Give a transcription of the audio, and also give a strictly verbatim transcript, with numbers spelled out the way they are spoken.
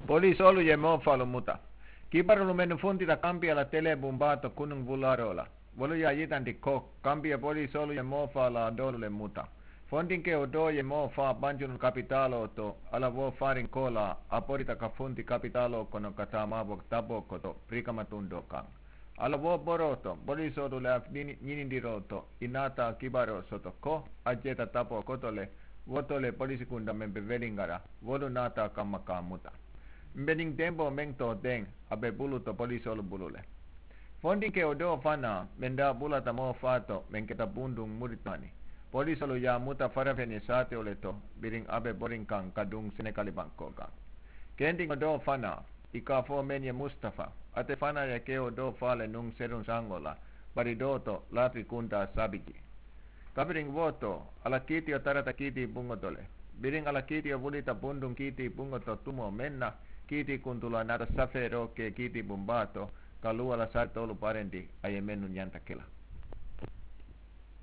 Polisoolu ye moofaalu muta. Kibarulu mennu funtita kampiya la telebuŋ baato kunuŋ wulaaroo la. Wolu ye a yitandi ko kampiya polisoolu ye moofaa la a doolu le muta. Fondinkewo doo ye moofaa banjunu kapitaaloo to a la wo faariŋ koolaa a borita ka funti kapitaaloo kono ka taa maabo taboo koto birikama tundoo kaŋ. A la wo boroo to polisoolu le a ñinindiroo to ì naata kibaroo soto ko a jeeta taboo koto le. Wo to le polisikunda meŋ be weliŋa la wolu naata a kamma ka a muta. Mbe niŋ demboo meŋ too deŋ a be bulu to polisoolu bulu le. Fondinkewo doo fanaa meŋ daa bulata moo faa to meŋ keta bunduŋ muritaani polisoolu ye a muta farafeŋ ye saatewo le to biriŋ a be boriŋ kaŋ ka duŋ senekali bankoo kaŋ. Kendiŋo doo fanaa ì ka a fo meŋ ye mustafa ate fanaa ye kewo doo faa le nuŋ seruŋ saŋo la bari doo to laati kuntaa sabi jee. Kabiriŋ wo to a la kiitiyo tarata kiitii buŋo to le. Biriŋ a la kiitiyo wulita bunduŋ kiitii buŋo to tumoo meŋ na kiitii kuntulaa naata safeeroo ke kiitii buŋ baa to ka luwa la saritoolu barendi a ye mennu ñanta ke la.